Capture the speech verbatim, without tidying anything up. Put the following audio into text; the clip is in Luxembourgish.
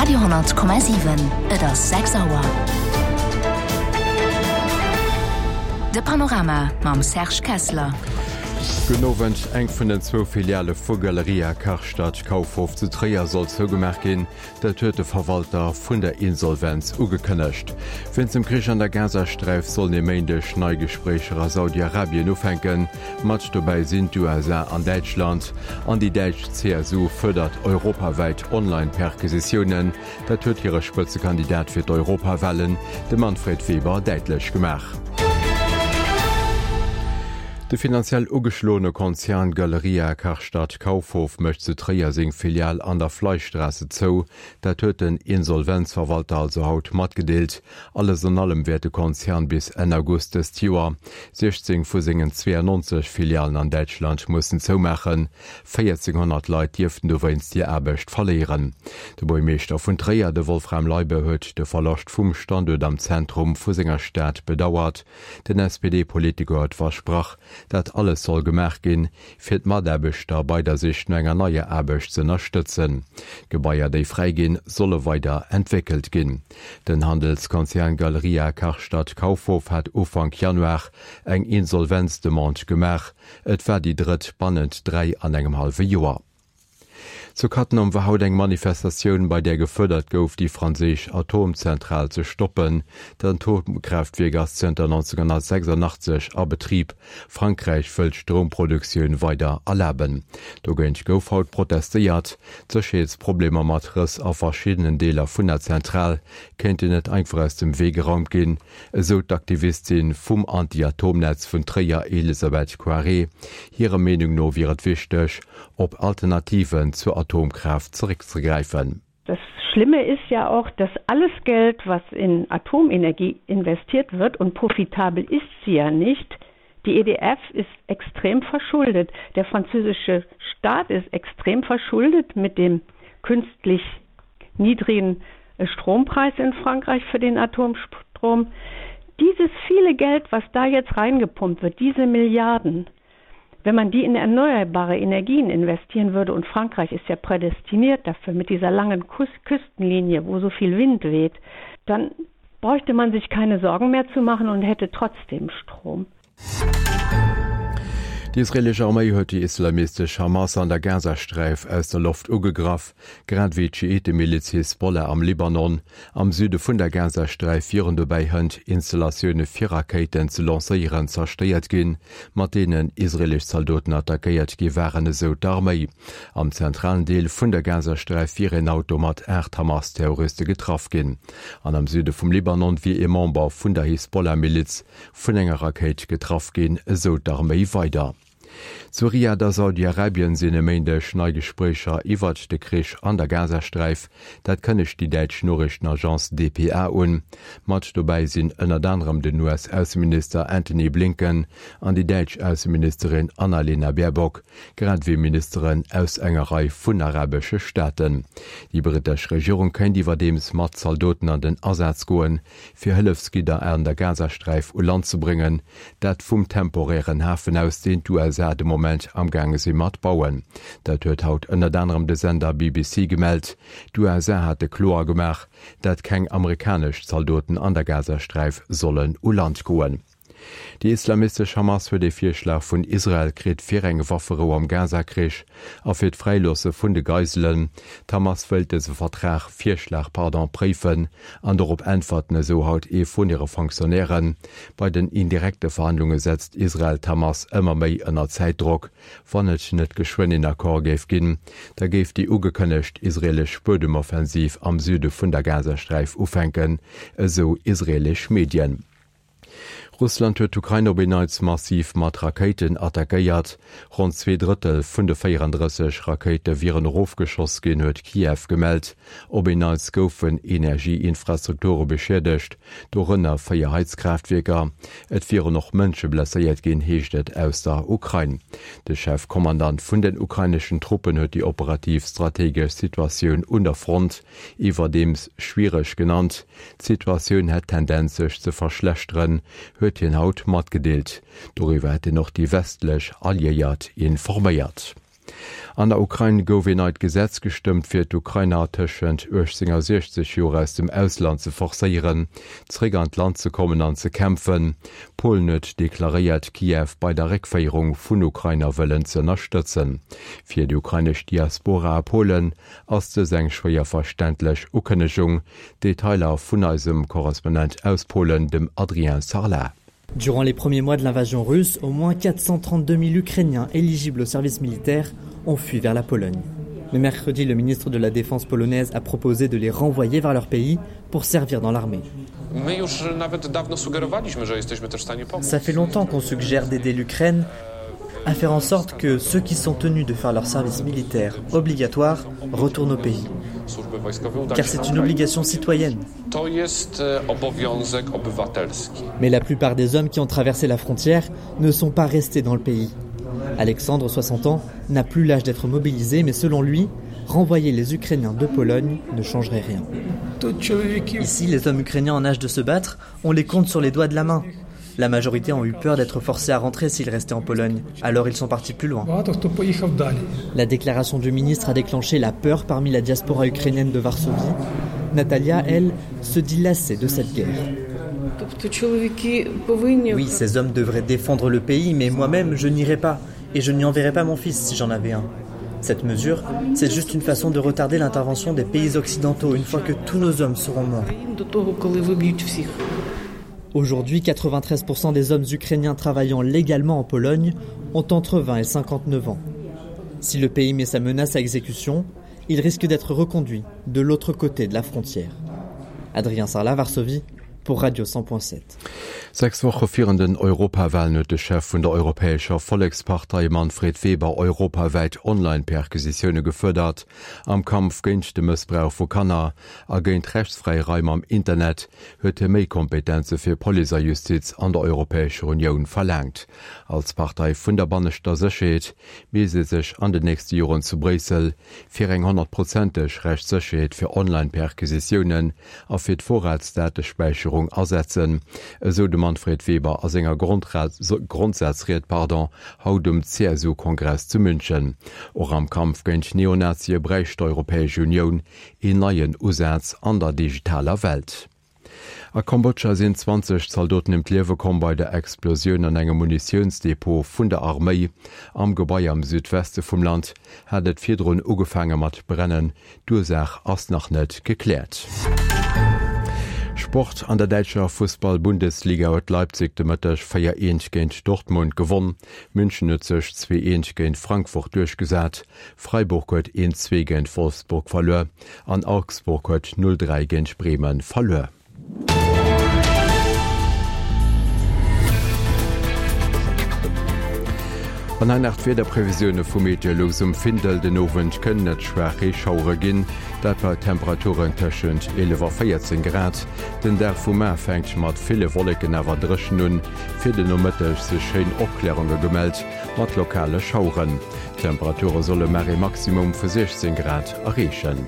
Radio honnert Komma siwen, Et ass sechs Auer. De Panorama mam Serge Kessler. Gudden Owend. Eng vun den zwou Filiale vu Galeria Karstadt Kaufhof zu Tréier soll zougemaach ginn. Dat huet de Verwalter vun der Insolvenz ugekënnegt. Wéinst dem Krich an der Gazasträif sollen e Méindeg nei Gespréicher a Saudi-Arabien ufänken. Mat dobäi sinn d'U S A an Däitschland. An déi däitsch C S U fuerdert europawäit Online-Perquisitiounen. Dat huet hire Spëtzekandidat fir d'Europawalen, de Manfred Weber, däitlech gemaach. De finanziell ugeschloene Konzern Galeria Karstadt Kaufhof mécht zu Tréier seng Filial an der Fleischstraße zou. Dat huet den Insolvenzverwalter also haut matgedeelt. Alles an allem wäert de Konzern bis Enn August dëst Joer siechzéng vu sengen zweiundneunzeg Filialen an Däitschland mussen zoumaachen. véierzehnhonnert Leit dierften dowéinst hir Aarbecht verléieren. De Buergermeeschter vun Tréier, de Wolfram Leibe, huet de Verloscht vum Standuert am Zentrum vu senger Stad bedauert. Den S P D-Politiker huet versprach, dat alles soll gemaach ginn, fir d'Mataarbechter bei der Sich no enger neier Aarbecht ze ënnerstëtzen. D'Gebaier, déi fräi ginn, solle weider entwéckelt ginn. Den Handelskonzern Galeria Karstadt Kaufhof hat Ufank Januar eng Insolvenzdemande gemaach. Et war déi drëtt bannent dräi an engem hallwe Joer. Zu Cattenom war haut eng Manifestatioun, bei där gefuerdert gouf, déi franséisch Atomzentral ze stoppen. D'Atomkraaftwierk ass zënter neunzehnhundertsechsundachtzeg a Betrib. Frankräich wëll d'Stromproduktioun weider erlaben. Dogéint gouf haut protestéiert. D'Sécherheetsproblemer mat Rëss a verschiddenen Deeler vun der Zentral kéinten net einfach aus dem Wee geraumt ginn, esou d'Aktivistin vum Anti-Atomnetz vun Tréier Elisabeth Coiré. Hirer Meenung no wier et wichteg, op Alternativen zur Atomkraft zurückzugreifen. Das Schlimme ist ja auch, dass alles Geld, was in Atomenergie investiert wird, und profitabel ist sie ja nicht, die E D F ist extrem verschuldet. Der französische Staat ist extrem verschuldet mit dem künstlich niedrigen Strompreis in Frankreich für den Atomstrom. Dieses viele Geld, was da jetzt reingepumpt wird, diese Milliarden, wenn man die in erneuerbare Energien investieren würde, und Frankreich ist ja prädestiniert dafür mit dieser langen Kus-, Küstenlinie, wo so viel Wind weht, dann bräuchte man sich keine Sorgen mehr zu machen und hätte trotzdem Strom. Déi israelesch Arméi huet déi islamistesch Hamas an der Gazasträif aus der Loft ugegraff, grad wéi d'Schiite-Miliz Hisbollah am Libanon. Am Süde vun der Gazasträif wieren dobäi hënt Installatioune fir Rakéiten ze lancéieren zerstéiert ginn, mat deenen israelesch Zaldoten attackéiert gi waren, esou d'Arméi. Am zentralen Deel vun der Gazasträif wier en Auto mat aacht Hamas-Terroriste getraff ginn. An am Süde vum Libanon wier e Member vun der Hisbollah-Miliz vun enger Rakéit getraff ginn, esou d'Arméi weider. Zu Riyadh a Saudi-Arabien sinn e Méindeg nei Gespréicher iwwer de Krich an der Gazasträif. Dat kënnegt déi däitsch Noriichtenagence D P A un. Mat dobäi sinn ënnert anderem den U S-Ausseminister Antony Blinken an déi däitsch Ausseministerin Annalena Baerbock, grad wéi Ministeren aus enger Rei vun arabesche Staaten. Déi brittesch Regierung kéint iwwerdeems mat Zaldoten an den Asaz goen, fir Hëllefsgidder an der Gazasträif u Land ze bréngen, dat vum temporären Hafen aus, deen d'U S A de Moment am Gange si mat bauen. Dat huet haut ënnert anderem de Sender B B C gemellt. D'U S A hat de kloer gemaach, dat keng amerikanesch Zaldoten an der Gazasträif sollen u Land goen. Déi islamistesch Hamas huet e Virschlag vun Israel kritt fir eng Wafferou am Gazakrich a fir d'Fräiloosse vun de Geiselen. D'Hamas wëllt dëse Vertrag Virschlag pardon préifen an dorop äntwerten esou haut ee vun hire Fonctionnairen. Bei den indirekte Verhandlunge setzt Israel d'Hamas ëmmer méi ënner Zäitdrock. Wann et net geschwënn een Accord géif ginn, da géif déi ugekënnegt israelesch Buedemoffensiv am Süde vun der Gazasträif ufänken, esou israelesch Medien. Russland huet d'Ukrain op en Neits massiv mat Rakéiten attackéiert. Rund zwee Drëttel vun de véierunddrësseg Rakéite wieren erofgeschoss ginn, huet Kiew gemellt. Op en Neits goufen Energieinfrastrukture beschädegt, dorënner véier Heizkraftwierker. Et wieren och Mënsche blesséiert ginn, heescht et aus der Ukrain. De Chefkommandant vun den ukraineschen Truppen huet déi operativ strategesch Situatioun un der Front iwwerdeems schwiereg genannt. D'Situatioun hätt Tendenz sech ze verschlechteren, huet hien haut matgedeelt. Doriwwer hätt en och déi westlech Alliéiert informéiert. An der Ukrain gouf een neit Gesetz gestëmmt, fir d'Ukrainer tëschent uechtzéng a siechzeg Joer aus dem Ausland ze forcéieren, zeréck an d'Land ze kommen an ze kämpfen. Polen huet deklaréiert, Kiew bei der Réckféierung vun Ukrainer wëllen ze ënnerstëtzen. Fir déi ukrainesch Diaspora a Polen ass dës eng schwéier verständlech Ukënnegung. Detailer vun eisem Korrespondent aus Polen, dem Adrien Sarlat. Durant les premiers mois de l'invasion russe, au moins quatre cent trente-deux mille Ukrainiens éligibles au service militaire ont fui vers la Pologne. Mais mercredi, le ministre de la Défense polonaise a proposé de les renvoyer vers leur pays pour servir dans l'armée. Ça fait longtemps qu'on suggère d'aider l'Ukraine à faire en sorte que ceux qui sont tenus de faire leur service militaire obligatoire retournent au pays. Car c'est une obligation citoyenne. Mais la plupart des hommes qui ont traversé la frontière ne sont pas restés dans le pays. Alexandre, soixante ans, n'a plus l'âge d'être mobilisé, mais selon lui, renvoyer les Ukrainiens de Pologne ne changerait rien. Ici, les hommes ukrainiens en âge de se battre, on les compte sur les doigts de la main. La majorité ont eu peur d'être forcés à rentrer s'ils restaient en Pologne. Alors ils sont partis plus loin. La déclaration du ministre a déclenché la peur parmi la diaspora ukrainienne de Varsovie. Natalia, elle, se dit lassée de cette guerre. Oui, ces hommes devraient défendre le pays, mais moi-même, je n'irai pas. Et je n'y enverrai pas mon fils si j'en avais un. Cette mesure, c'est juste une façon de retarder l'intervention des pays occidentaux une fois que tous nos hommes seront morts. Aujourd'hui, quatre-vingt-treize pour cent des hommes ukrainiens travaillant légalement en Pologne ont entre vingt et cinquante-neuf ans. Si le pays met sa menace à exécution, il risque d'être reconduit de l'autre côté de la frontière. Adrien Sarlat, Varsovie, pour Radio cent point sept. Sechs Woche virun den Europawahlen huet de Chef vun der Europäescher Vollekspartei Manfred Weber europawäit Online-Perquisitioune gefuerdert. Am Kampf géint de Mëssbrauch vu Kanner a géint rechtsfräi Raim am Internet huet hie méi Kompetenze fir Police a Justiz an der Europäescher Unioun verlaangt. Als Partei vun der banneschter Sécherheet misst ee sech an den nächste Joren zu Bréissel fir eng honnertprozenteg Rechtssécherheet fir Online-Perquisitiounen a fir d'Vorratsdatespäicherung asetzen, esou de Manfred Weber a senger Grondsazried, pardon, haut um C S U-Kongress zu München. Och am Kampf géint Neonazie bräicht d'Europäesch Unioun een neien Usaz an der digitaler Welt. A Kambodscha sinn zwanzeg Zaldoten ëm d'Liewe komm bei der Explosioun an engem Munitiounsdepot vun der Arméi. Am Gebai am Südweste vum Land hat et virdrun ugefaange mat brennen. D'Ursaach ass nach net gekläert. Sport an der däitscher Fussball-Bundesliga huet Leipzig de Mëtteg véier eent géint Dortmund gewonn. München huet sech zwee eent géint Frankfurt duerchgesat. Freiburg huet eent zwee géint Wolfsburg verluer an Augsburg huet null dräi géint Bremen verluer. An hei nach d'Wiederprevisioune vu Meteolux um Findel. Den Owend kënnen et schwaach Reeschauere ginn, dat bei Temperaturen tëschent eelef a véierzéng Grad. Den Dag vu mar fänkt mat ville Wolleken awer dréchen un. Fir den Nomëtteg si schéin Opklärunge gemellt mat lokale Schaueren. D'Temperature solle mar ee Maximum vu siechzéng Grad erreechen.